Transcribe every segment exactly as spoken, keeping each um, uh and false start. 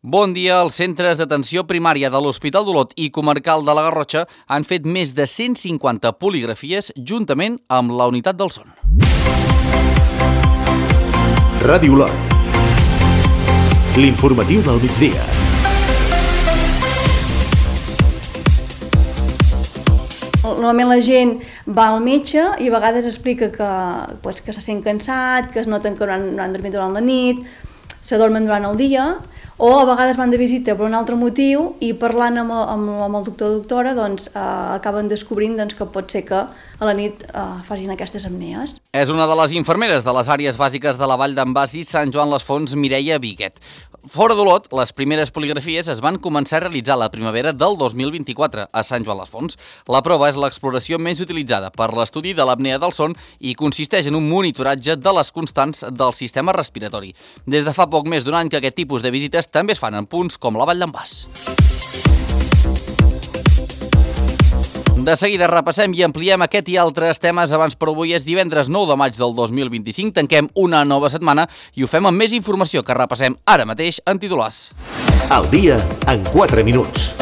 Bon dia. Els centres d'atenció primària de l'Hospital d'Olot i Comarcal de la Garrotxa han fet més de cent cinquanta poligrafies juntament amb la unitat del son. Ràdio Olot. L'informatiu del migdia. Normalment la gent va al metge i a vegades explica que, pues, que se sent cansat, que es noten que no han, no han dormit durant la nit, s'adormen durant el dia, o a vegades van de visita per un altre motiu i parlant amb, amb, amb el doctor o doctora doncs, eh, acaben descobrint doncs, que pot ser que a la nit eh, facin aquestes apnees. És una de les infermeres de les àrees bàsiques de la Vall d'en Bas i Sant Joan les Fonts, Mireia Viguet. Fora d'Olot, les primeres poligrafies es van començar a realitzar la primavera del dos mil vint-i-quatre a Sant Joan les Fonts. La prova és l'exploració més utilitzada per l'estudi de l'apnea del son i consisteix en un monitoratge de les constants del sistema respiratori. Des de fa poc més d'un any que aquest tipus de visites també es fan en punts com la Vall d'en Bas. De seguida repassem i ampliem aquest i altres temes. Abans, però avui és divendres nou de maig del dos mil vint-i-cinc. Tanquem una nova setmana i ho fem amb més informació que repassem ara mateix en titulars. Al dia en quatre minuts.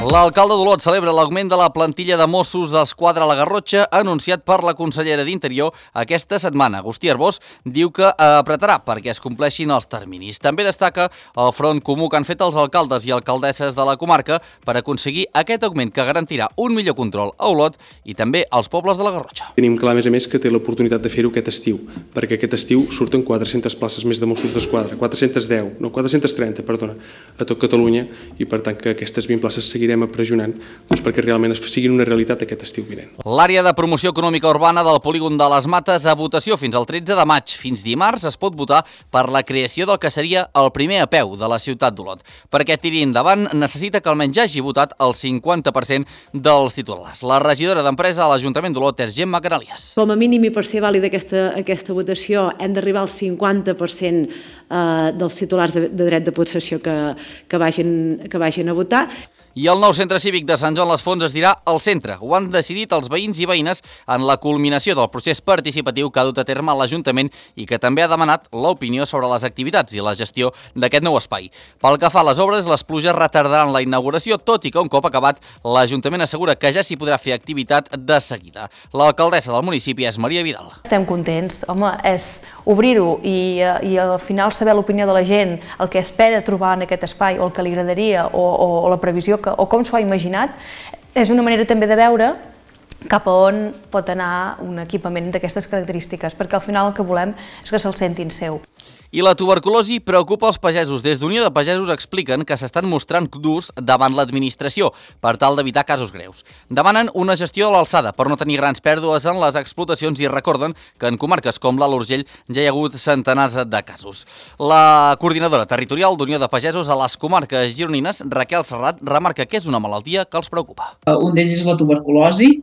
L'alcalde d'Olot celebra l'augment de la plantilla de Mossos d'Esquadra a la Garrotxa anunciat per la consellera d'Interior aquesta setmana. Agustí Arbós diu que apretarà perquè es compleixin els terminis. També destaca el front comú que han fet els alcaldes i alcaldesses de la comarca per aconseguir aquest augment que garantirà un millor control a Olot i també als pobles de la Garrotxa. Tenim clar, a més a més, que té l'oportunitat de fer-ho aquest estiu, perquè aquest estiu surten quatre-centes places més de Mossos d'Esquadra, quatre-centes deu, no, quatre-centes trenta, perdona, a tot Catalunya, i per tant que aquestes vint places seguirem pressionant doncs, perquè realment siguin una realitat aquest estiu vinent. L'àrea de promoció econòmica urbana del polígon de les Mates a votació fins al tretze de maig. Fins dimarts es pot votar per la creació del que seria el primer A P E U de la ciutat d'Olot. Perquè tiri endavant necessita que almenys ja hagi votat el cinquanta per cent dels titulars. La regidora d'Empresa a l'Ajuntament d'Olot és Gemma Canalias. Com a mínim i per ser vàlida aquesta, aquesta votació hem d'arribar al cinquanta per cent eh, dels titulars de, de dret de possessió que, que, vagin, que vagin a votar. I el nou centre cívic de Sant Joan les Fonts es dirà al centre. Ho han decidit els veïns i veïnes en la culminació del procés participatiu que ha dut a terme l'Ajuntament i que també ha demanat l'opinió sobre les activitats i la gestió d'aquest nou espai. Pel que fa a les obres, les pluges retardaran la inauguració, tot i que un cop acabat, l'Ajuntament assegura que ja s'hi podrà fer activitat de seguida. L'alcaldessa del municipi és Maria Vidal. Estem contents. Home, és obrir-ho i, i al final saber l'opinió de la gent, el que espera trobar en aquest espai o el que li agradaria o, o, o la previsió que o com s'ho ha imaginat, és una manera també de veure cap a on pot anar un equipament d'aquestes característiques, perquè al final el que volem és que se'l sentin seu. I la tuberculosi preocupa els pagesos. Des d'Unió de Pagesos expliquen que s'estan mostrant durs davant l'administració per tal d'evitar casos greus. Demanen una gestió a l'alçada per no tenir grans pèrdues en les explotacions i recorden que en comarques com l'Alt Urgell ja hi ha hagut centenars de casos. La coordinadora territorial d'Unió de Pagesos a les comarques gironines, Raquel Serrat, remarca que és una malaltia que els preocupa. Un d'ells és la tuberculosi.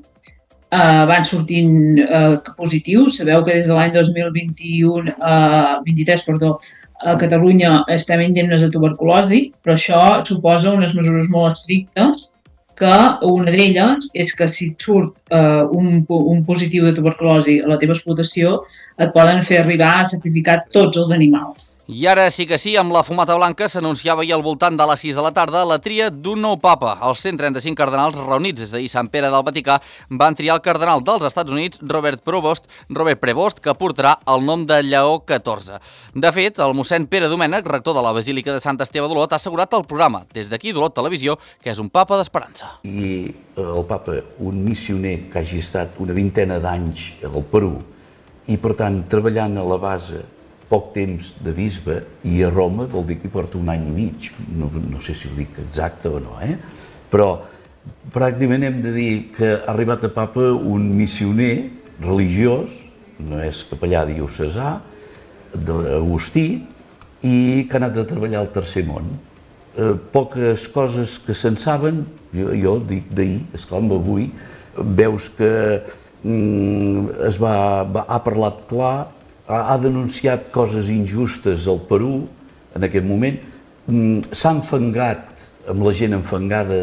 Uh, van sortint uh, positius. Sabeu que des de l'any dos mil vint-i-u, uh, vint-i-tres, perdó, a Catalunya estem indemnes de tuberculosi, però això suposa unes mesures molt estrictes, que una d'elles és que si et surt uh, un, un positiu de tuberculosi a la teva explotació, et poden fer arribar a sacrificar tots els animals. I ara sí que sí, amb la fumata blanca s'anunciava ahir al voltant de les sis de la tarda la tria d'un nou papa. Els cent trenta-cinc cardenals reunits des d'ahir Sant Pere del Vaticà van triar el cardenal dels Estats Units, Robert Prevost, Robert Prevost, que portarà el nom de Lleó catorze. De fet, el mossèn Pere Domènech, rector de la Basílica de Sant Esteve d'Olot, ha assegurat al programa, des d'aquí d'Olot Televisió, que és un papa d'esperança. I el papa, un missioner que hagi estat una vintena d'anys al Perú i, per tant, treballant a la base poc temps de bisbe i a Roma vol dir que hi porta un any i mig, no, no sé si ho dic exacte o no, eh? Però pràcticament hem de dir que ha arribat a papa un missioner religiós, no és capellà diocesà, d'Agustí, i que ha anat a treballar al Tercer Món. Eh, poques coses que se'n saben, jo, jo dic d'ahir, esclar, amb avui, veus que mm, es va, va, ha parlat clar, ha denunciat coses injustes al Perú en aquest moment, s'ha enfangat amb la gent enfangada.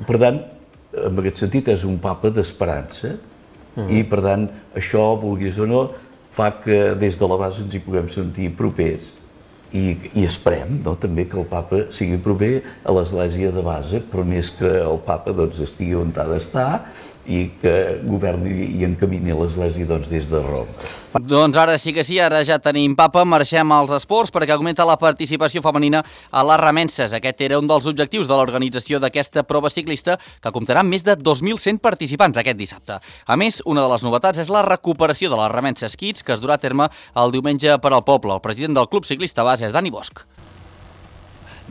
Per tant, en aquest sentit, és un papa d'esperança i, per tant, això, vulguis o no, fa que des de la base ens hi puguem sentir propers i, i esperem no, també que el papa sigui proper a l'església de base, però més que el papa doncs, estigui on ha d'estar i que governi i encamini l'església doncs, des de Roma. Doncs ara sí que sí, ara ja tenim papa, marxem als esports perquè augmenta la participació femenina a les remenses. Aquest era un dels objectius de l'organització d'aquesta prova ciclista que comptarà amb més de dos mil cent participants aquest dissabte. A més, una de les novetats és la recuperació de les remenses Kids que es durà a terme el diumenge per al poble. El president del Club Ciclista Base és Dani Bosch.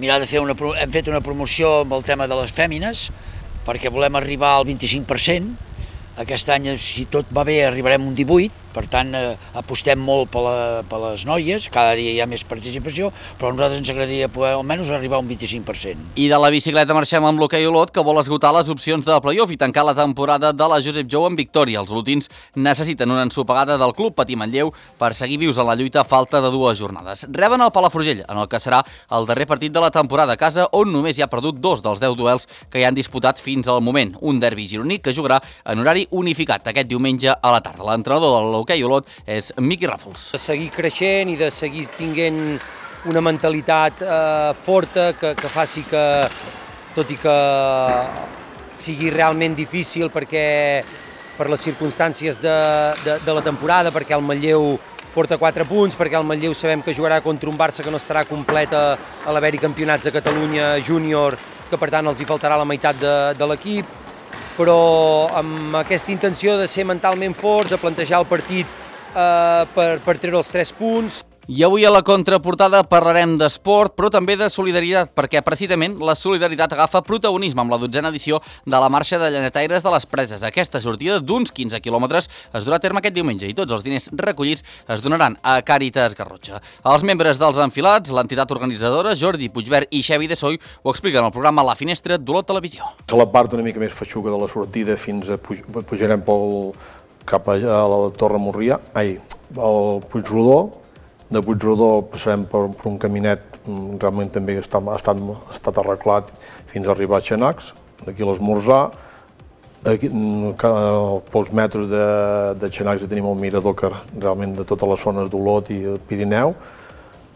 Mirar de fer una, hem fet una promoció amb el tema de les fèmines perquè volem arribar al vint-i-cinc per cent. Aquest any, si tot va bé, arribarem un divuit, per tant, eh, apostem molt per, la, per les noies, cada dia hi ha més participació, però a nosaltres ens agradaria poder almenys arribar a un vint-i-cinc per cent. I de la bicicleta marxem amb l'hoquei Olot, que vol esgotar les opcions de play-off i tancar la temporada de la Josep Jou en victòria. Els olotins necessiten una ensopegada del club Patí Manlleu per seguir vius en la lluita a falta de dues jornades. Reben el Palafrugell, en el que serà el darrer partit de la temporada a casa, on només hi ha perdut dos dels deu duels que hi han disputat fins al moment. Un derbi gironí que jugarà en horari unificat aquest diumenge a la tarda. L'entrenador de l'hoquei Olot és Miqui Ràfols. De seguir creixent i de seguir tinguent una mentalitat eh, forta que, que faci que, tot i que sigui realment difícil perquè per les circumstàncies de, de, de la temporada, perquè el Manlleu porta quatre punts, perquè el Manlleu sabem que jugarà contra un Barça que no estarà complet a, a l'haver-hi campionats de Catalunya júnior, que per tant els hi faltarà la meitat de, de l'equip, però amb aquesta intenció de ser mentalment forts, de plantejar el partit eh, per, per treure els tres punts. I avui a la contraportada parlarem d'esport, però també de solidaritat, perquè precisament la solidaritat agafa protagonisme amb la dotzena edició de la marxa de llanetaires de les Preses. Aquesta sortida d'uns quinze quilòmetres es durà a terme aquest diumenge i tots els diners recollits es donaran a Càritas Garrotxa. Els membres dels enfilats, l'entitat organitzadora, Jordi Puigvert i Xavi de Soy, ho expliquen al programa La Finestra d'Olot Televisió. A la part una mica més feixuga de la sortida fins a puj pujarem pel, cap a la Torre Morrià, ai, al Puigrodó. De Puigrodó passarem per, per un caminet, realment també està, ha, estat, ha estat arreglat fins a arribar a Xanacs, d'aquí a l'Esmorzar. Aquí, a pocs metres de, de Xanacs tenim el mirador que realment de totes les zones d'Olot i el Pirineu.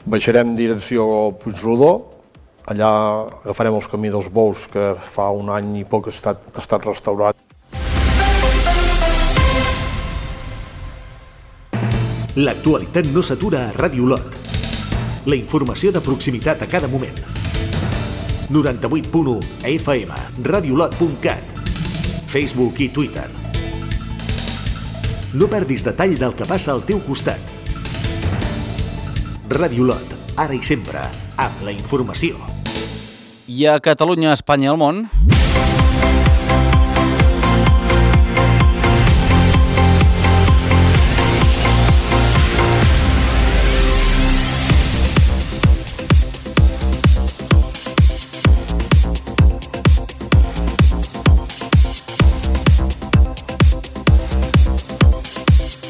Baixarem direcció a Puigrodó, allà agafarem els camí dels Bous, que fa un any i poc ha estat, ha estat restaurat. L'actualitat no s'atura a Ràdio Olot. La informació de proximitat a cada moment. noranta-vuit punt u F M, radiolot punt cat, Facebook i Twitter. No perdis detall del que passa al teu costat. Ràdio Olot, ara i sempre, amb la informació. I a Catalunya, Espanya i el món...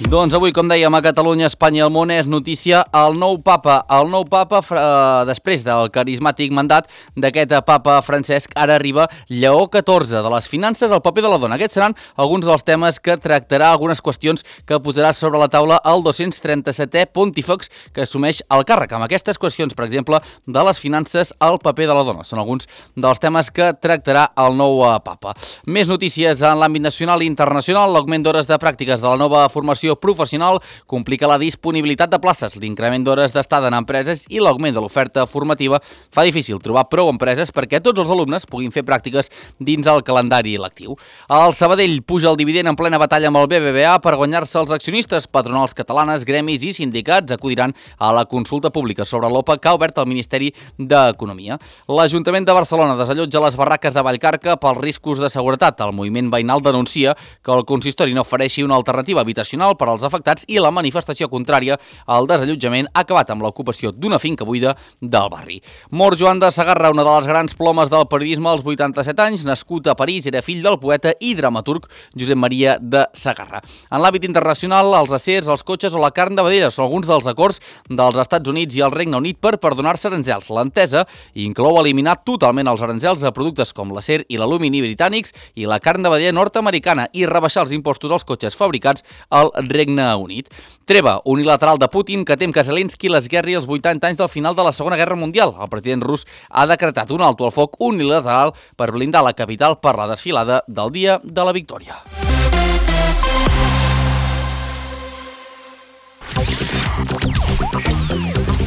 Doncs avui, com dèiem, a Catalunya, Espanya i el món és notícia el nou papa. El nou papa, eh, després del carismàtic mandat d'aquest papa Francesc, ara arriba Lleó catorze, de les finances al paper de la dona. Aquests seran alguns dels temes que tractarà, algunes qüestions que posarà sobre la taula el dos-cents trenta-setè pontífex que assumeix el càrrec. Amb aquestes qüestions, per exemple, de les finances al paper de la dona. Són alguns dels temes que tractarà el nou papa. Més notícies en l'àmbit nacional i internacional. L'augment d'hores de pràctiques de la nova formació professional complica la disponibilitat de places, l'increment d'hores d'estada en empreses i l'augment de l'oferta formativa fa difícil trobar prou empreses perquè tots els alumnes puguin fer pràctiques dins el calendari lectiu. El Sabadell puja el dividend en plena batalla amb el B B V A per guanyar-se els accionistes. Patronals catalanes, gremis i sindicats acudiran a la consulta pública sobre l'O P A que ha obert el Ministeri d'Economia. L'Ajuntament de Barcelona desallotja les barraques de Vallcarca pels riscos de seguretat. El moviment veïnal denuncia que el consistori no ofereixi una alternativa habitacional per als afectats i la manifestació contrària al desallotjament ha acabat amb l'ocupació d'una finca buida del barri. Mor Joan de Sagarra, una de les grans plomes del periodisme als vuitanta-set anys, nascut a París, era fill del poeta i dramaturg Josep Maria de Sagarra. En l'àmbit internacional, els acers, els cotxes o la carn de vedella són alguns dels acords dels Estats Units i el Regne Unit per perdonar-se aranzels. L'entesa inclou eliminar totalment els aranzels a productes com l'acer i l'alumini britànics i la carn de vedella nord-americana i rebaixar els impostos als cotxes fabricats al Regne Regne Unit. Treva unilateral de Putin que tem que Zelensky l'esguerri als vuitanta anys del final de la Segona Guerra Mundial. El president rus ha decretat un alto al foc unilateral per blindar la capital per la desfilada del Dia de la Victòria.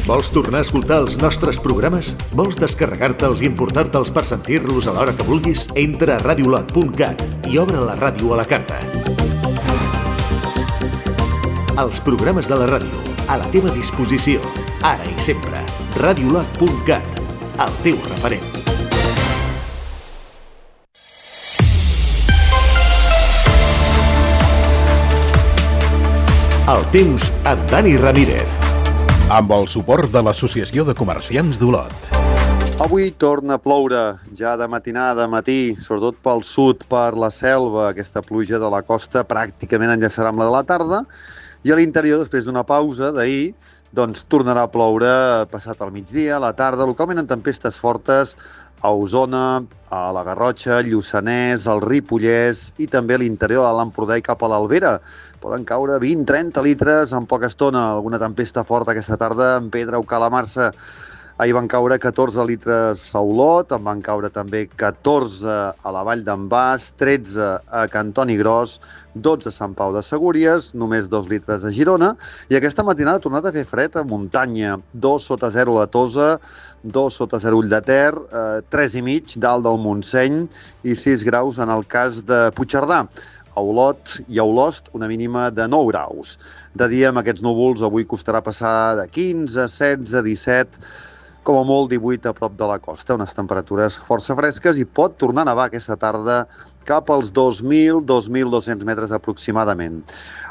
Vols tornar a escoltar els nostres programes? Vols descarregar-te'ls i importar-te'ls per sentir-los a l'hora que vulguis? Entra a radiolot punt cat i obre la ràdio a la carta. Els programes de la ràdio, a la teva disposició, ara i sempre. radiolot punt cat, el teu referent. El temps amb Dani Ramírez. Amb el suport de l'Associació de Comerciants d'Olot. Avui torna a ploure, ja de matinada, matí, sobretot pel sud, per la selva. Aquesta pluja de la costa pràcticament enllaçarà amb la de la tarda, i a l'interior, després d'una pausa d'ahir, doncs tornarà a ploure passat al migdia, a la tarda, localment en tempestes fortes a Osona, a la Garrotxa, Lluçanès, al Ripollès i també a l'interior de l'Empordà i cap a l'Albera. Poden caure vint a trenta litres en poca estona. Alguna tempesta forta aquesta tarda en Pedra o Calamarsa. Ahir van caure catorze litres a Olot, en van caure també catorze a la Vall d'en Bas, tretze a Cantoni Gros, dotze a Sant Pau de Segúries, només dos litres a Girona, i aquesta matinada ha tornat a fer fred a muntanya, dos sota zero a Tosa, dos sota zero Ull de Ter, eh, tres i mig dalt del Montseny i sis graus en el cas de Puigcerdà. A Olot i a Olost una mínima de nou graus. De dia amb aquests núvols avui costarà passar de quinze, setze, disset, com a molt divuit a prop de la costa, unes temperatures força fresques i pot tornar a nevar aquesta tarda cap als dos mil a dos mil dos-cents metres aproximadament.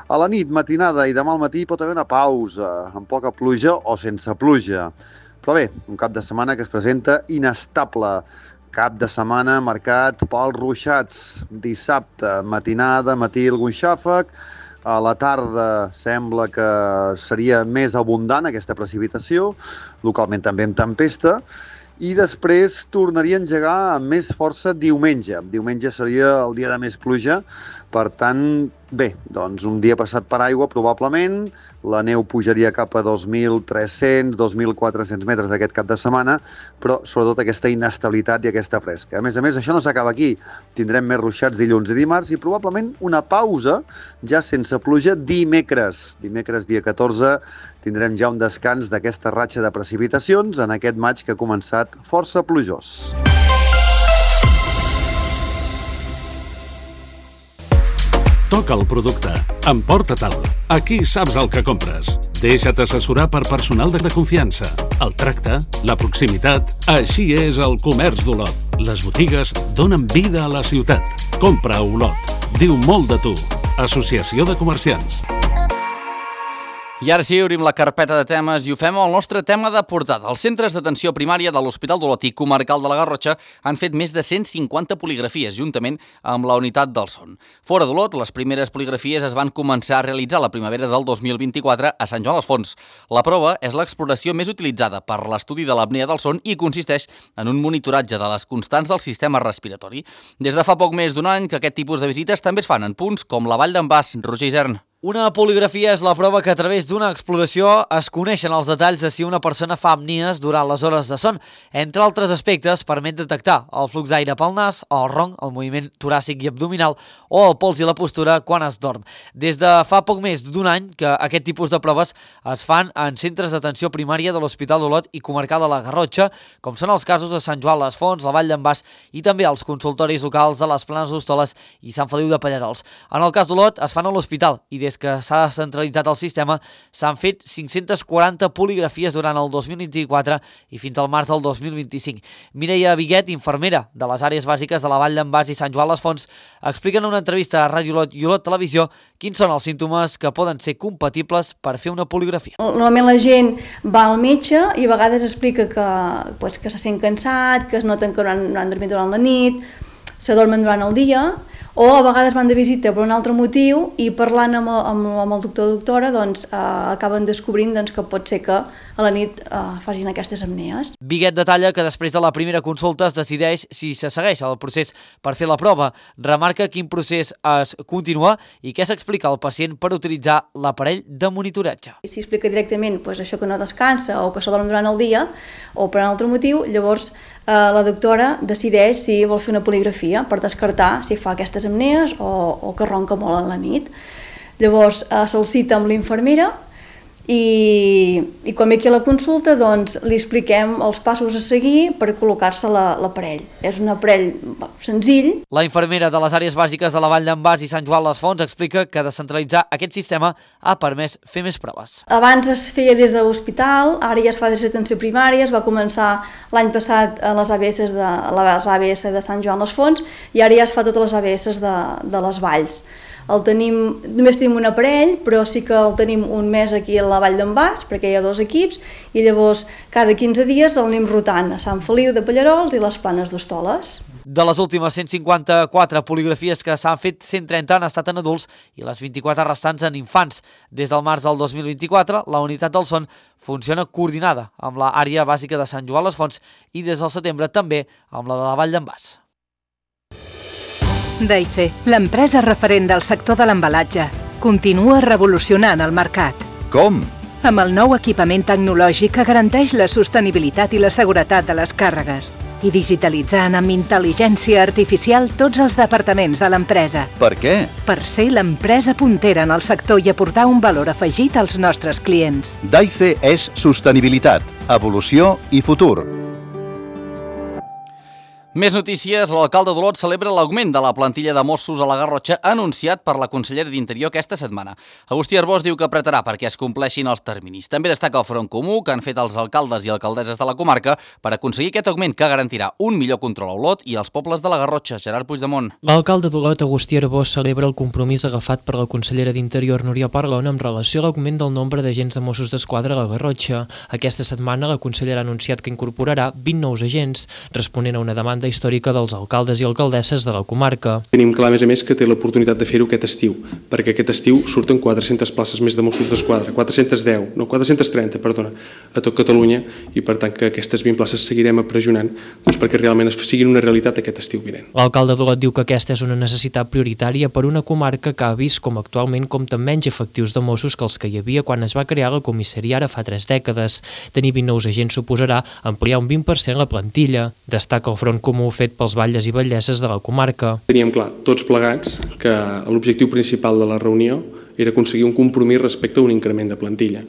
A la nit, matinada i demà al matí pot haver una pausa, amb poca pluja o sense pluja. Però bé, un cap de setmana que es presenta inestable. Cap de setmana marcat pels ruixats. Dissabte, matinada, matí algun xàfec. A la tarda sembla que seria més abundant aquesta precipitació, localment també amb tempesta, i després tornaria a engegar amb més força diumenge. Diumenge seria el dia de més pluja, per tant, bé, doncs un dia passat per aigua probablement, la neu pujaria cap a dos mil tres-cents, dos mil quatre-cents metres aquest cap de setmana, però sobretot aquesta inestabilitat i aquesta fresca. A més a més, això no s'acaba aquí. Tindrem més ruixats dilluns i dimarts i probablement una pausa ja sense pluja dimecres. Dimecres, dia catorze, tindrem ja un descans d'aquesta ratxa de precipitacions en aquest maig que ha començat força plujós. Toca el producte. Emporta-te'l. Aquí saps el que compres. Deixa't assessorar per personal de confiança. El tracte, la proximitat, així és el comerç d'Olot. Les botigues donen vida a la ciutat. Compra a Olot. Diu molt de tu. Associació de Comerciants. I ara sí, obrim la carpeta de temes i ho fem amb el nostre tema de portada. Els centres d'atenció primària de l'Hospital d'Olot i Comarcal de la Garrotxa han fet més de cent cinquanta poligrafies, juntament amb la unitat del son. Fora d'Olot, les primeres poligrafies es van començar a realitzar la primavera del dos mil vint-i-quatre a Sant Joan les Fonts. La prova és l'exploració més utilitzada per l'estudi de l'apnea del son i consisteix en un monitoratge de les constants del sistema respiratori. Des de fa poc més d'un any que aquest tipus de visites també es fan en punts com la Vall d'en Bas, Roger Isern. Una poligrafia és la prova que a través d'una exploració es coneixen els detalls de si una persona fa apnies durant les hores de son. Entre altres aspectes, permet detectar el flux d'aire pel nas, el ronc, el moviment toràcic i abdominal o el pols i la postura quan es dorm. Des de fa poc més d'un any que aquest tipus de proves es fan en centres d'atenció primària de l'Hospital d'Olot i Comarcal de la Garrotxa, com són els casos de Sant Joan les Fonts, la Vall d'en Bas i també els consultoris locals de les Planes d'Hostoles i Sant Feliu de Pallerols. En el cas d'Olot es fan a l'hospital i des que s'ha centralitzat el sistema, s'han fet cinc-centes quaranta poligrafies durant el dos mil vint-i-quatre i fins al març del dos mil vint-i-cinc. Mireia Viguet, infermera de les àrees bàsiques de la Vall d'en Bas i Sant Joan les Fonts, explica en una entrevista a Ràdio Olot i Olot Televisió quins són els símptomes que poden ser compatibles per fer una poligrafia. Normalment la gent va al metge i a vegades explica que, pues, que se sent cansat, que es noten que no han, no han dormit durant la nit, s'adormen durant el dia, o a vegades van de visita per un altre motiu i parlant amb, amb, amb el doctor o doctora doncs, eh, acaben descobrint doncs, que pot ser que a la nit eh, facin aquestes apnees. Biguet detalla que després de la primera consulta es decideix si se segueix el procés per fer la prova. Remarca quin procés es continua i què s'explica al pacient per utilitzar l'aparell de monitoratge. Si explica directament doncs, això que no descansa o que s'adorm durant el dia o per un altre motiu, llavors eh, la doctora decideix si vol fer una poligrafia per descartar si fa aquestes apnees o, o que ronca molt a la nit. Llavors eh, se'l cita amb l'infermera i, i quan ve aquí a la consulta doncs, li expliquem els passos a seguir per col·locar-se l'aparell. És un aparell senzill. La infermera de les àrees bàsiques de la Vall d'en Bas i Sant Joan les Fonts explica que descentralitzar aquest sistema ha permès fer més proves. Abans es feia des de l'hospital, ara ja es fa des d'atenció primària, es va començar l'any passat a les A B S de, les A B S de Sant Joan les Fonts i ara ja es fa totes les A B S de, de les valls. El tenim, només tenim un aparell, però sí que el tenim un mes aquí a la Vall d'en Bas, perquè hi ha dos equips, i llavors cada quinze dies el anem rotant a Sant Feliu de Pallarols i les Planes d'Hostoles. De les últimes cent cinquanta-quatre poligrafies que s'han fet, cent trenta han estat en adults i les vint-i-quatre restants en infants. Des del març del dos mil vint-i-quatre, la unitat del son funciona coordinada amb l'àrea bàsica de Sant Joan les Fonts i des del setembre també amb la de la Vall d'en Bas. Daife, l'empresa referent del sector de l'embalatge, continua revolucionant el mercat. Com? Amb el nou equipament tecnològic que garanteix la sostenibilitat i la seguretat de les càrregues i digitalitzant amb intel·ligència artificial tots els departaments de l'empresa. Per què? Per ser l'empresa puntera en el sector i aportar un valor afegit als nostres clients. Daife és sostenibilitat, evolució i futur. Més notícies, l'alcalde d'Olot celebra l'augment de la plantilla de Mossos a la Garrotxa anunciat per la consellera d'Interior aquesta setmana. Agustí Arbós diu que apretarà perquè es compleixin els terminis. També destaca el front comú que han fet els alcaldes i alcaldesses de la comarca per aconseguir aquest augment que garantirà un millor control a Olot i als pobles de la Garrotxa. Gerard Puigdemont. L'alcalde d'Olot, Agustí Arbós, celebra el compromís agafat per la consellera d'Interior, Núria Parlon, amb relació a l'augment del nombre d'agents de Mossos d'Esquadra a la Garrotxa. Aquesta setmana la consellera ha anunciat que incorporarà vint nous agents, responent a una demanda històrica dels alcaldes i alcaldesses de la comarca. Tenim clar, a més a més, que té l'oportunitat de fer-ho aquest estiu, perquè aquest estiu surten quatre-centes places més de Mossos d'Esquadra, quatre-centes deu, no, quatre-centes trenta, perdona, a tot Catalunya, i per tant que aquestes vint places seguirem pressionant doncs, perquè realment siguin una realitat aquest estiu vinent. L'alcalde d'Olot diu que aquesta és una necessitat prioritària per una comarca que ha vist com actualment compta menys efectius de Mossos que els que hi havia quan es va crear la comissaria ara fa tres dècades. Tenir vint nous agents suposarà ampliar un vint per cent la plantilla. Destaca el front comú fet pels batlles i batlleses de la comarca. Teníem clar, tots plegats, que l'objectiu principal de la reunió era aconseguir un compromís respecte a un increment de plantilla.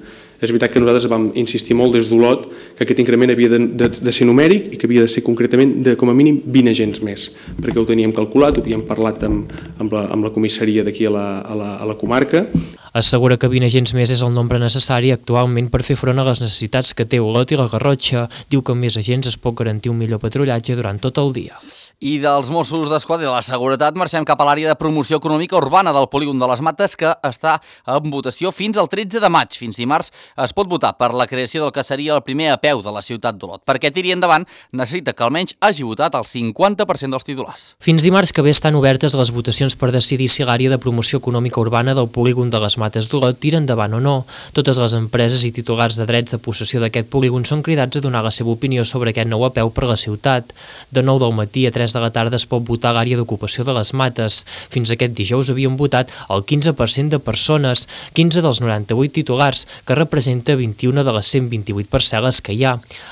És veritat que nosaltres vam insistir molt des d'Olot que aquest increment havia de, de, de ser numèric i que havia de ser concretament de com a mínim vint agents més, perquè ho teníem calculat, ho havíem parlat amb, amb, la, amb la comissaria d'aquí a, la, a, la, a la comarca. Assegura que vint agents més és el nombre necessari actualment per fer front a les necessitats que té Olot i la Garrotxa. Diu que amb més agents es pot garantir un millor patrullatge durant tot el dia. I dels Mossos d'Esquadra i de la Seguretat marxem cap a l'àrea de promoció econòmica urbana del polígon de les Mates, que està en votació fins al tretze de maig. Fins dimarts es pot votar per la creació del que seria el primer apeu de la ciutat d'Olot. Perquè tiri endavant necessita que almenys hagi votat el cinquanta per cent dels titulars. Fins dimarts que ve estan obertes les votacions per decidir si l'àrea de promoció econòmica urbana del polígon de les Mates d'Olot tira endavant o no. Totes les empreses i titulars de drets de possessió d'aquest polígon són cridats a donar la seva opinió sobre aquest nou apeu per la ciutat. De nou del matí a tres de la tarda es pot votar a l'àrea d'ocupació de les Mates. Fins aquest dijous havien votat el quinze per cent de persones, quinze dels noranta-vuit titulars, que representa vint-i-una de les cent vint-i-vuit parcel·les que hi ha.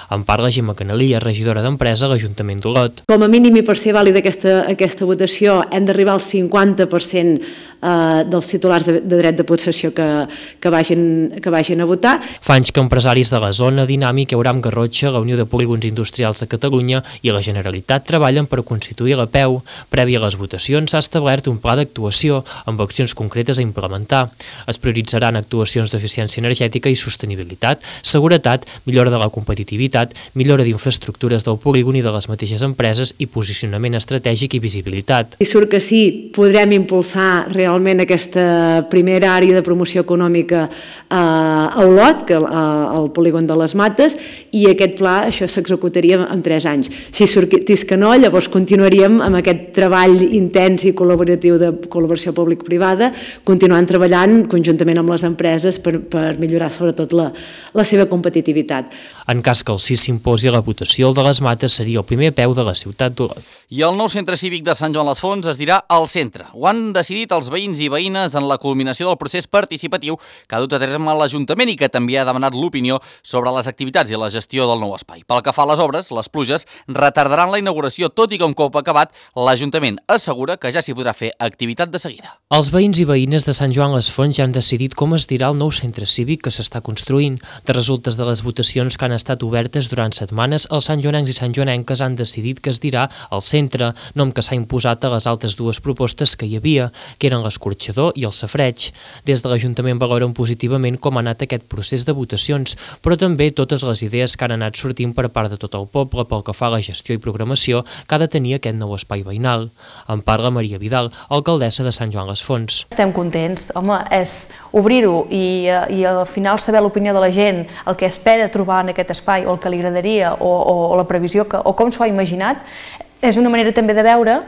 En parla Gemma Canalia, regidora d'Empresa a l'Ajuntament d'Olot. Com a mínim i per ser vàlida aquesta, aquesta votació hem d'arribar al cinquanta per cent eh, dels titulars de, de dret de possessió que, que, vagin, que vagin a votar. Fa anys que empresaris de la zona, Dinàmic, Euram Garrotxa, la Unió de Polígons Industrials de Catalunya i la Generalitat treballen per constituir l'apeu. Previ a les votacions s'ha establert un pla d'actuació amb accions concretes a implementar. Es prioritzaran actuacions d'eficiència energètica i sostenibilitat, seguretat, millora de la competitivitat, millora d'infraestructures del polígon i de les mateixes empreses i posicionament estratègic i visibilitat. Si surt que sí, podrem impulsar realment realment aquesta primera àrea de promoció econòmica a Olot, que al polígon de les Mates, i aquest pla, això s'executaria en tres anys. Si sortís que no, llavors continuaríem amb aquest treball intens i col·laboratiu de col·laboració públic-privada, continuant treballant conjuntament amb les empreses per, per millorar sobretot la, la seva competitivitat. En cas que el sí s'imposi la votació, el de les Mates seria el primer peu de la ciutat d'Olot. I el nou centre cívic de Sant Joan les Fonts es dirà al centre. Ho han decidit els veïns i veïnes en la culminació del procés participatiu que ha dut a terme l'Ajuntament i que també ha demanat l'opinió sobre les activitats i la gestió del nou espai. Pel que fa a les obres, les pluges retardaran la inauguració, tot i que un cop acabat, l'Ajuntament assegura que ja s'hi podrà fer activitat de seguida. Els veïns i veïnes de Sant Joan les Fonts ja han decidit com es dirà el nou centre cívic que s'està construint. De resultes de les votacions que han estat obertes durant setmanes, els santjoanencs i santjoanenques han decidit que es dirà al centre, nom que s'ha imposat a les altres dues propostes que hi havia, que eren l'escorxador i el safareig. Des de l'Ajuntament valoren positivament com ha anat aquest procés de votacions, però també totes les idees que han anat sortint per part de tot el poble pel que fa a la gestió i programació que ha de tenir aquest nou espai veïnal. En parla Maria Vidal, alcaldessa de Sant Joan les Fonts. Estem contents, home, és obrir-ho i, i al final saber l'opinió de la gent, el que espera trobar en aquest espai o el que li agradaria o, o, o la previsió que, o com s'ho ha imaginat, és una manera també de veure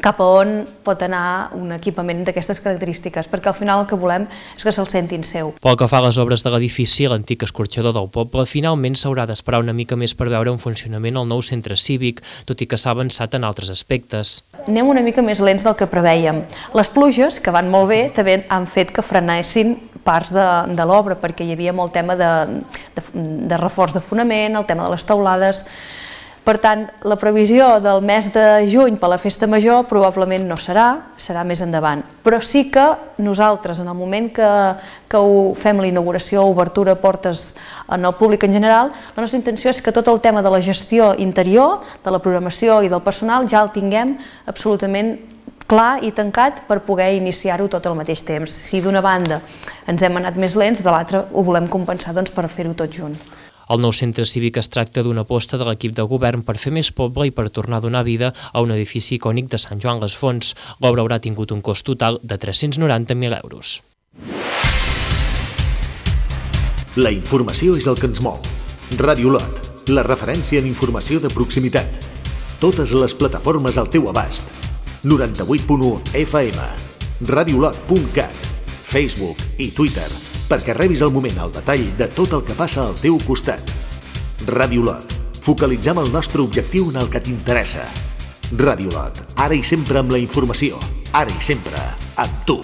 cap a on pot anar un equipament d'aquestes característiques, perquè al final el que volem és que se'l sentin seu. Pel que fa a les obres de l'edifici, l'antic escorxador del poble, finalment s'haurà d'esperar una mica més per veure en funcionament el nou centre cívic, tot i que s'ha avançat en altres aspectes. Anem una mica més lents del que preveiem. Les pluges, que van molt bé, també han fet que frenessin parts de, de l'obra, perquè hi havia molt tema de, de, de reforç de fonament, el tema de les teulades. Per tant, la previsió del mes de juny per la festa major probablement no serà, serà més endavant. Però sí que nosaltres, en el moment que, que ho fem l'inauguració, obertura, portes en el públic en general, la nostra intenció és que tot el tema de la gestió interior, de la programació i del personal ja el tinguem absolutament clar i tancat per poder iniciar-ho tot al mateix temps. Si d'una banda ens hem anat més lents, de l'altra ho volem compensar doncs, per fer-ho tot junt. El nou centre cívic es tracta d'una aposta de l'equip de govern per fer més poble i per tornar a donar vida a un edifici icònic de Sant Joan les Fonts. L'obra haurà tingut un cost total de tres-cents noranta mil euros. La informació és el que ens mou. Ràdio Olot, la referència en informació de proximitat. Totes les plataformes al teu abast. noranta-vuit punt u F M, radiolot punt cat, Facebook i Twitter, perquè rebis al moment el detall de tot el que passa al teu costat. Ràdio Olot, focalitzem el nostre objectiu en el que t'interessa. Ràdio Olot, ara i sempre amb la informació, ara i sempre amb tu.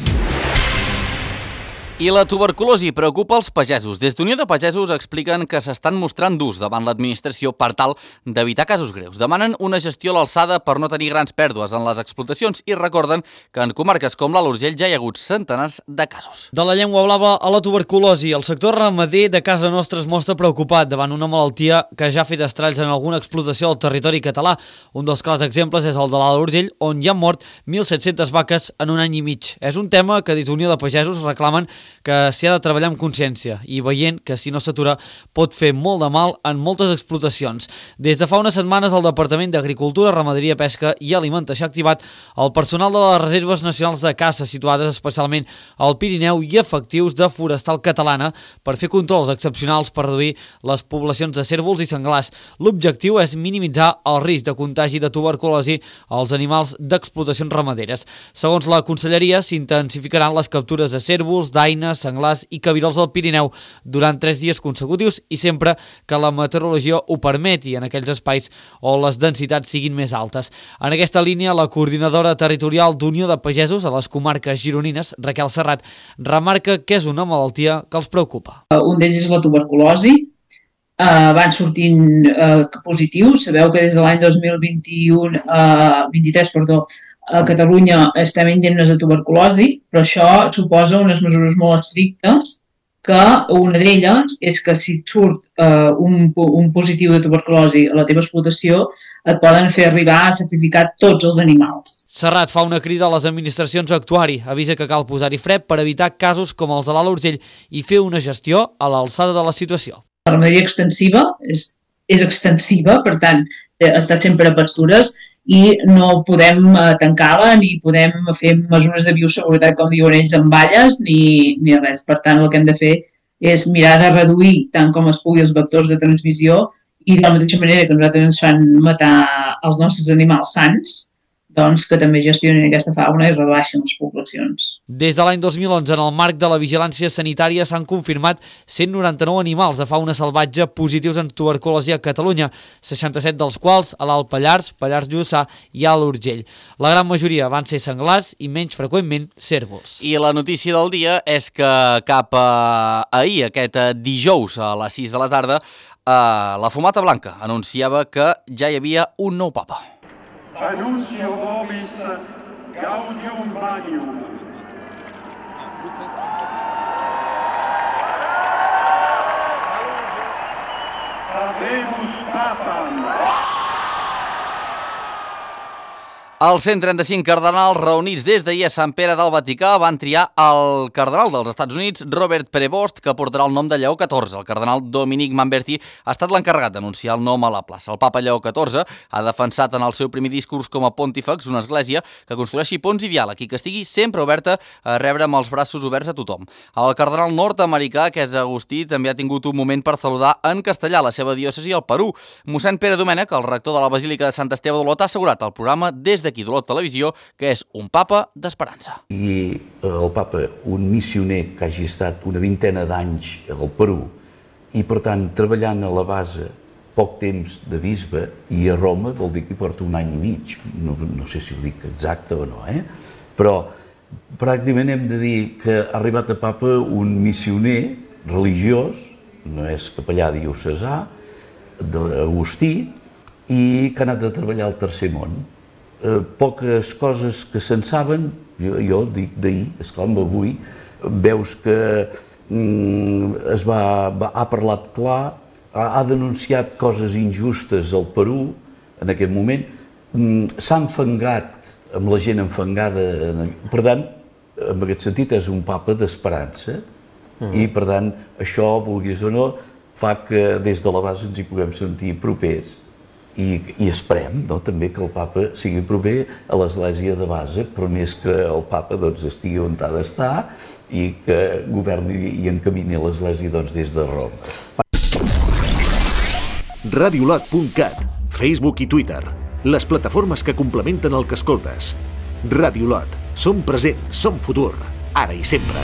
I la tuberculosi preocupa els pagesos. Des d'Unió de Pagesos expliquen que s'estan mostrant durs davant l'administració per tal d'evitar casos greus. Demanen una gestió a l'alçada per no tenir grans pèrdues en les explotacions i recorden que en comarques com l'Alt Urgell ja hi ha hagut centenars de casos. De la llengua blava a la tuberculosi, el sector ramader de casa nostra es mostra preocupat davant una malaltia que ja ha fet estralls en alguna explotació al territori català. Un dels clars exemples és el de l'Alt Urgell, on hi han mort mil set-cents vaques en un any i mig. És un tema que des d'Unió de Pagesos reclamen que s'hi ha de treballar amb consciència i veient que si no s'atura pot fer molt de mal en moltes explotacions. Des de fa unes setmanes el Departament d'Agricultura, Ramaderia, Pesca i Alimentació ha activat el personal de les reserves nacionals de caça situades especialment al Pirineu i efectius de Forestal Catalana per fer controls excepcionals per reduir les poblacions de cérvols i senglars. L'objectiu és minimitzar el risc de contagi de tuberculosi als animals d'explotacions ramaderes. Segons la Conselleria, s'intensificaran les captures de cérvols, daines, senglars i cabirols al Pirineu durant tres dies consecutius i sempre que la meteorologia ho permeti en aquells espais on les densitats siguin més altes. En aquesta línia, la coordinadora territorial d'Unió de Pagesos a les comarques gironines, Raquel Serrat, remarca que és una malaltia que els preocupa. Un d'ells és la tuberculosi. Uh, van sortint uh, positius. Sabeu que des de l'any dos mil vint-i-u, uh, vint-i-tres, perdó, a Catalunya estem indemnes de tuberculosi, però això suposa unes mesures molt estrictes, que una d'elles és que si et surt uh, un, un positiu de tuberculosi a la teva explotació, et poden fer arribar a sacrificar tots els animals. Serrat fa una crida a les administracions a actuar-hi, avisa que cal posar-hi fre per evitar casos com els de l'Alt Urgell i fer una gestió a l'alçada de la situació. La ramaderia extensiva és, és extensiva, per tant, ha estat sempre a pastures i no podem tancar-la ni podem fer mesures de bioseguretat, com diuen ells, amb valles ni, ni res. Per tant, el que hem de fer és mirar de reduir tant com es pugui els vectors de transmissió i de la mateixa manera que nosaltres ens fan matar els nostres animals sants, doncs que també gestionin aquesta fauna i rebaixen les poblacions. Des de l'any dos mil onze, en el marc de la vigilància sanitària, s'han confirmat cent noranta-nou animals de fauna salvatge positius en tuberculosi a Catalunya, seixanta-set dels quals a l'Alt Pallars, Pallars Jussà i Alt Urgell. La gran majoria van ser senglars i menys freqüentment cérvols. I la notícia del dia és que cap a ahir, aquest dijous a les sis de la tarda, la Fumata Blanca anunciava que ja hi havia un nou papa. Annuncio vobis gaudium vanium. Habemus papam. Els cent trenta-cinc cardenals reunits des d'ahir a Sant Pere del Vaticà van triar el cardenal dels Estats Units, Robert Prevost, que portarà el nom de Lleó catorze. El cardenal Dominic Manberti ha estat l'encarregat d'anunciar el nom a la plaça. El papa Lleó catorze ha defensat en el seu primer discurs com a pontífex una església que construeixi ponts i diàleg i que estigui sempre oberta a rebre amb els braços oberts a tothom. El cardenal nord-americà, que és Agustí, també ha tingut un moment per saludar en castellà la seva diòcesi al Perú. Mossèn Pere Domènech, el rector de la Basílica de Sant Esteve d'Olot, ha assegurat al programa des de aquí d'Olot Televisió, que és un papa d'esperança. I el papa, un missioner que hagi estat una vintena d'anys al Perú i, per tant, treballant a la base poc temps de bisbe i a Roma, vol dir que hi porta un any i mig. No, no sé si ho dic exacte o no, eh? Però pràcticament hem de dir que ha arribat a papa un missioner religiós, no és capellà diocesà, d'Agustí, i que ha anat a treballar al Tercer Món. Eh, poques coses que se'n saben, jo, jo dic d'ahir, esclar, amb avui, veus que mm, es va, va, ha parlat clar, ha, ha denunciat coses injustes al Perú en aquest moment, mm, s'ha enfangat amb la gent enfangada, per tant, en aquest sentit és un papa d'esperança, mm. i per tant, això, vulguis o no, fa que des de la base ens hi puguem sentir propers. I, i esperem no, també que el papa sigui proper a l'església de base, però més que el papa doncs, estigui on ha d'estar i que governi i encamini l'església doncs, des de Roma. radiolot punt cat, Facebook i Twitter, les plataformes que complementen el que escoltes. Radiolot, som present, som futur, ara i sempre.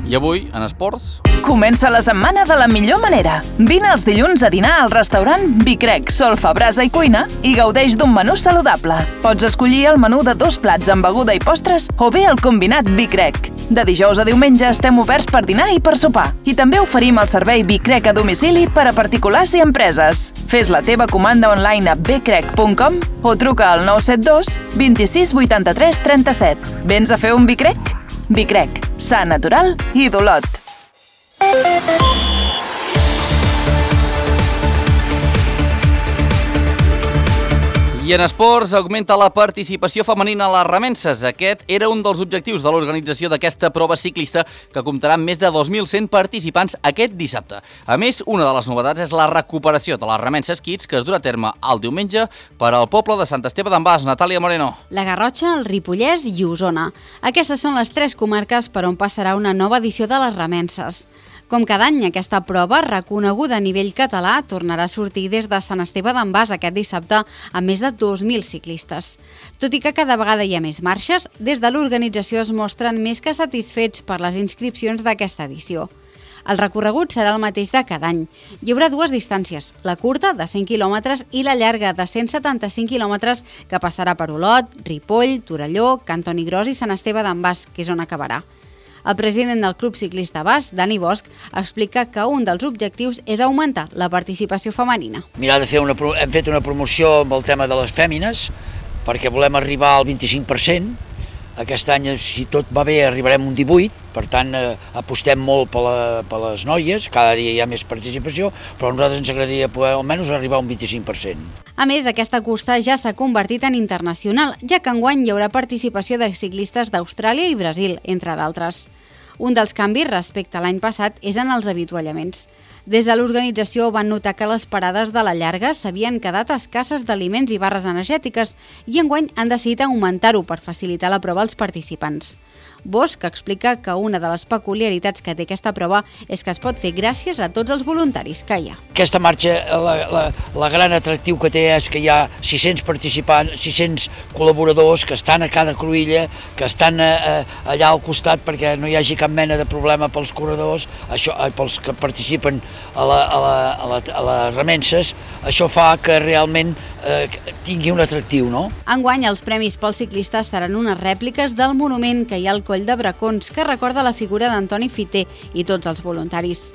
I avui, en esports... Comença la setmana de la millor manera. Vine els dilluns a dinar al restaurant Bicrec, Solfa, Brasa i Cuina i gaudeix d'un menú saludable. Pots escollir el menú de dos plats amb beguda i postres o bé el combinat Bicrec. De dijous a diumenge estem oberts per dinar i per sopar. I també oferim el servei Bicrec a domicili per a particulars i empreses. Fes la teva comanda online a bcrec punt com o truca al nou set dos vint-i-sis vuitanta-tres trenta-set. Vens a fer un Bicrec? Bicrec, sa natural i d'Olot. I en esports augmenta la participació femenina a les remenses. Aquest era un dels objectius de l'organització d'aquesta prova ciclista que comptarà amb més de dos mil cent participants aquest dissabte. A més, una de les novetats és la recuperació de les remenses Kids que es durà a terme el diumenge per al poble de Sant Esteve d'en Bas. Natàlia Moreno. La Garrotxa, el Ripollès i Osona. Aquestes són les tres comarques per on passarà una nova edició de les remenses. Com cada any, aquesta prova, reconeguda a nivell català, tornarà a sortir des de Sant Esteve d'en Bas aquest dissabte amb més de dos mil ciclistes. Tot i que cada vegada hi ha més marxes, des de l'organització es mostren més que satisfets per les inscripcions d'aquesta edició. El recorregut serà el mateix de cada any. Hi haurà dues distàncies, la curta, de cent quilòmetres, i la llarga, de cent setanta-cinc quilòmetres, que passarà per Olot, Ripoll, Torelló, Cantoni Gros i Sant Esteve d'en Bas, que és on acabarà. El president del Club Ciclista Bas, Dani Bosch, explica que un dels objectius és augmentar la participació femenina. Mirar de fer una, hem fet una promoció amb el tema de les fèmines perquè volem arribar al vint-i-cinc per cent. Aquest any, si tot va bé, arribarem un divuit, per tant, eh, apostem molt per, la, per les noies, cada dia hi ha més participació, però a nosaltres ens agradaria poder almenys arribar a un vint-i-cinc per cent. A més, aquesta cursa ja s'ha convertit en internacional, ja que enguany hi haurà participació de ciclistes d'Austràlia i Brasil, entre d'altres. Un dels canvis respecte a l'any passat és en els avituallaments. Des de l'organització van notar que les parades de la llarga s'havien quedat escasses d'aliments i barres energètiques i enguany han decidit augmentar-ho per facilitar la prova als participants. Bosch explica que una de les peculiaritats que té aquesta prova és que es pot fer gràcies a tots els voluntaris que hi ha. Aquesta marxa, la, la, la gran atractiu que té és que hi ha sis-cents participants, sis-cents col·laboradors que estan a cada cruïlla, que estan eh, allà al costat perquè no hi hagi cap mena de problema pels corredors, això, pels que participen a, la, a, la, a, la, a les remenses. Això fa que realment eh, tingui un atractiu, no? Enguany, els premis pels ciclistes seran unes rèpliques del monument que hi ha al Coll de Bracons, que recorda la figura d'Antoni Fiter i tots els voluntaris.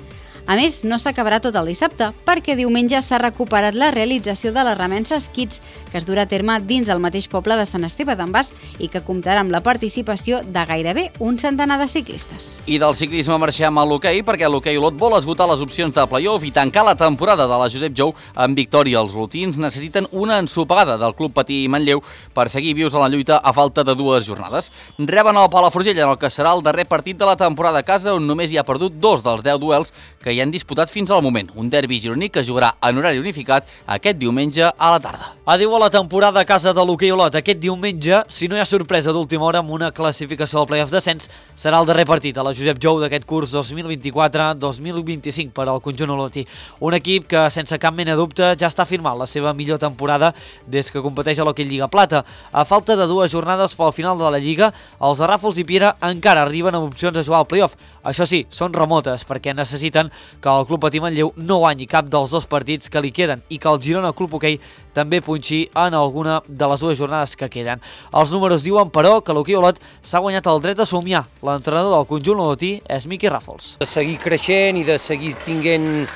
A més, no s'acabarà tot el dissabte, perquè diumenge s'ha recuperat la realització de la remensa Kids, que es durà a terme dins el mateix poble de Sant Esteve d'en Bas i que comptarà amb la participació de gairebé un centenar de ciclistes. I del ciclisme marxem a l'hoquei, perquè l'hoquei Olot vol esgotar les opcions de play-off i tancar la temporada de la Josep Jou amb victòria. Els olotins necessiten una ensopegada del Club Patí Manlleu per seguir vius a la lluita a falta de dues jornades. Reben el Palafrugell en el que serà el darrer partit de la temporada a casa, on només hi ha perdut dos dels deu duels que hi han disputat fins al moment. Un derbi gironí que jugarà en horari unificat aquest diumenge a la tarda. Adiu a la temporada a casa de l'hoquei Olot. Aquest diumenge, si no hi ha sorpresa d'última hora amb una classificació del play-off descens, serà el darrer partit a la Josep Jou d'aquest curs dos mil vint-i-quatre dos mil vint-i-cinc per al conjunt olotí. Un equip que, sense cap mena de dubte, ja està firmant la seva millor temporada des que competeix a l'hoquei Lliga Plata. A falta de dues jornades pel final de la Lliga, els de Ràfols i Piera encara arriben amb opcions a jugar al play-off. Això sí, són remotes, perquè necessiten que el Club Patí Manlleu no guanyi cap dels dos partits que li queden i que el Girona Club Hoquei també punxi en alguna de les dues jornades que queden. Els números diuen, però, que l'hoquei Olot s'ha guanyat el dret a somiar. L'entrenador del conjunt olotí és Miqui Ràfols. De seguir creixent i de seguir tinguent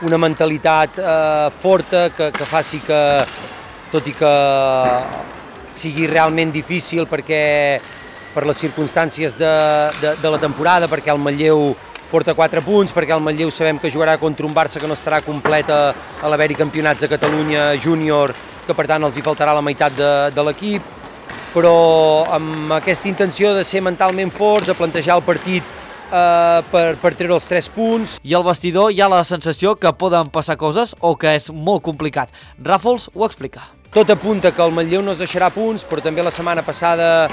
una mentalitat eh, forta que, que faci que, tot i que sigui realment difícil perquè per les circumstàncies de, de, de la temporada, perquè el Manlleu porta quatre punts, perquè el Manlleu sabem que jugarà contra un Barça que no estarà completa a l'haver-hi campionats de Catalunya júnior, que per tant els hi faltarà la meitat de, de l'equip, però amb aquesta intenció de ser mentalment forts, a plantejar el partit eh, per, per treure els tres punts. I al vestidor hi ha la sensació que poden passar coses o que és molt complicat. Ràfols ho explica. Tot apunta que el Manlleu no es deixarà punts, però també la setmana passada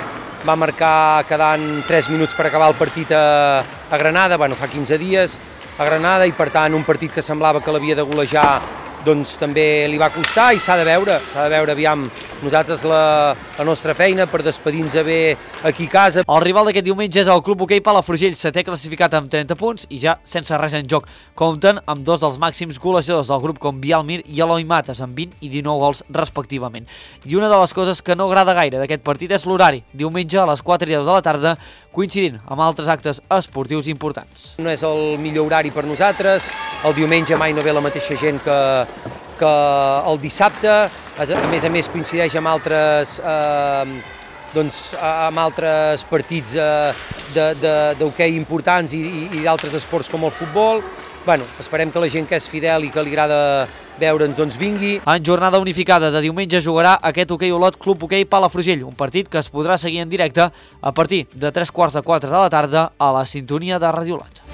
va marcar quedant tres minuts per acabar el partit a, a Granada, bueno, fa quinze dies, a Granada, i per tant un partit que semblava que l'havia de golejar doncs també li va costar i s'ha de veure, s'ha de veure, aviam, nosaltres la, la nostra feina per despedir-nos bé aquí a casa. El rival d'aquest diumenge és el Club Hoquei Palafrugell, setè classificat amb trenta punts i ja sense res en joc. Compten amb dos dels màxims golejadors del grup com Bial Mir i Eloi Mates, amb vint i dinou gols respectivament. I una de les coses que no agrada gaire d'aquest partit és l'horari, diumenge a les quatre i deu de la tarda, coincidint amb altres actes esportius importants. No és el millor horari per nosaltres, el diumenge mai no ve la mateixa gent que, que el dissabte, a més a més coincideix amb altres, eh, doncs, amb altres partits eh, d'hoquei importants i, i, i d'altres esports com el futbol. Bueno, esperem que la gent que és fidel i que li agrada veure'ns doncs vingui. En jornada unificada de diumenge jugarà aquest hoquei Olot Club Hoquei Palafrugell, un partit que es podrà seguir en directe a partir de tres quarts de quatre de la tarda a la sintonia de Ràdio Olot.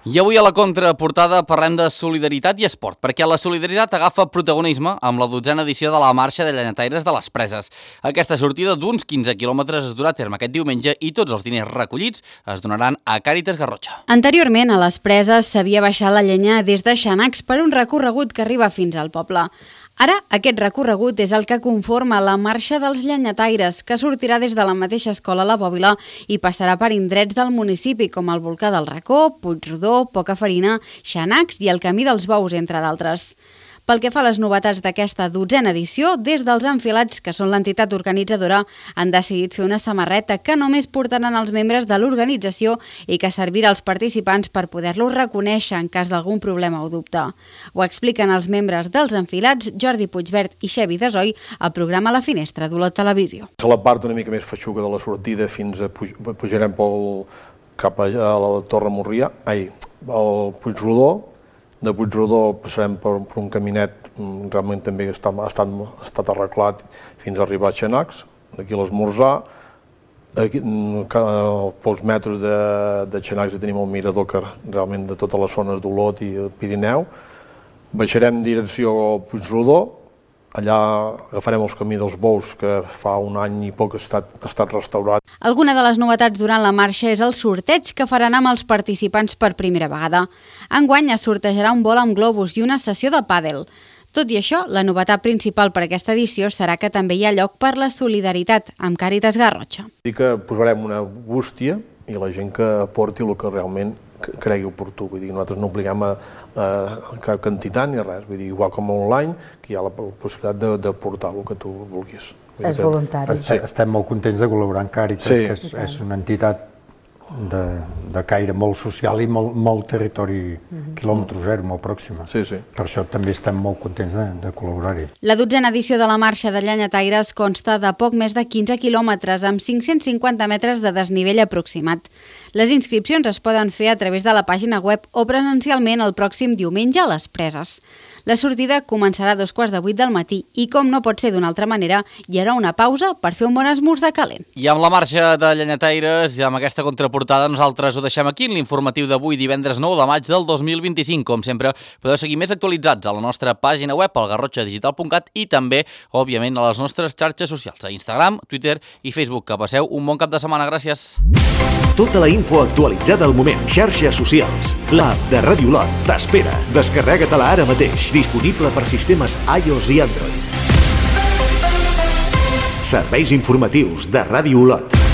I avui a la contraportada parlem de solidaritat i esport, perquè la solidaritat agafa protagonisme amb la dotzena edició de la Marxa de Llenyataires de les Preses. Aquesta sortida d'uns quinze quilòmetres es durà a terme aquest diumenge i tots els diners recollits es donaran a Càritas Garrotxa. Anteriorment, a les Preses s'havia baixat la llenya des de Xanacs per un recorregut que arriba fins al poble. Ara, aquest recorregut és el que conforma la Marxa dels Llenyataires, que sortirà des de la mateixa escola La Bòbila i passarà per indrets del municipi, com el Volcà del Racó, Puigrodó, Pocafarina, Xanacs i el Camí dels Bous, entre d'altres. Pel que fa a les novetats d'aquesta dotzena edició, des dels Enfilats, que són l'entitat organitzadora, han decidit fer una samarreta que només portaran els membres de l'organització i que servirà als participants per poder-los reconèixer en cas d'algun problema o dubte. Ho expliquen els membres dels Enfilats, Jordi Puigvert i Xevi Desoi, al programa La Finestra d'Olot Televisió. A la part una mica més feixuga de la sortida fins a puj pujarem pel, cap a la Torre Morrià, ai, al Puigrodó. De Puigrodó passarem per, per un caminet, realment també està, ha, estat, ha estat arreglat fins a arribar a Xanacs, d'aquí a l'esmorzar, Aquí, pels metres de, de Xanacs tenim el mirador que realment de totes les zones d'Olot i el Pirineu. Baixarem direcció Puigrodó, allà agafarem els camí dels Bous, que fa un any i poc ha estat, ha estat restaurat. Alguna de les novetats durant la marxa és el sorteig que faran amb els participants per primera vegada. Enguany es sortejarà un vol amb globus i una sessió de pàdel. Tot i això, la novetat principal per aquesta edició serà que també hi ha lloc per la solidaritat amb Càritas Garrotxa. Dic que posarem una bústia i la gent que aporti el que realment cregui oportú. Vull dir, nosaltres no obliguem a, a cap quantitat ni res. Vull dir, igual com online, que hi ha la possibilitat de, de portar el que tu vulguis. És voluntari. Estem, estem molt contents de col·laborar amb Càritas, sí, que és, és una entitat de, de caire molt social i molt, molt territori, mm-hmm. quilòmetre zero, molt pròxima. Sí, sí. Per això també estem molt contents de, de col·laborar-hi. La dotzena edició de la marxa de Llenyataires consta de poc més de quinze quilòmetres amb cinc-cents cinquanta metres de desnivell aproximat. Les inscripcions es poden fer a través de la pàgina web o presencialment el pròxim diumenge a les Preses. La sortida començarà a dos quarts de vuit del matí i, com no pot ser d'una altra manera, hi haurà una pausa per fer un bon esmorzar calent. I amb la marxa de Llenyataires i amb aquesta contraportada nosaltres ho deixem aquí en l'informatiu d'avui, divendres nou de maig del dos mil vint-i-cinc. Com sempre, podeu seguir més actualitzats a la nostra pàgina web, al garrotxa digital punt cat, i també, òbviament, a les nostres xarxes socials, a Instagram, Twitter i Facebook. Que passeu un bon cap de setmana. Gràcies. Tota la info actualitzada al moment. Xarxes socials. L'app de Ràdio Olot t'espera. Descarrega-te-la ara mateix. Disponible per sistemes iOS i Android. Serveis informatius de Ràdio Olot.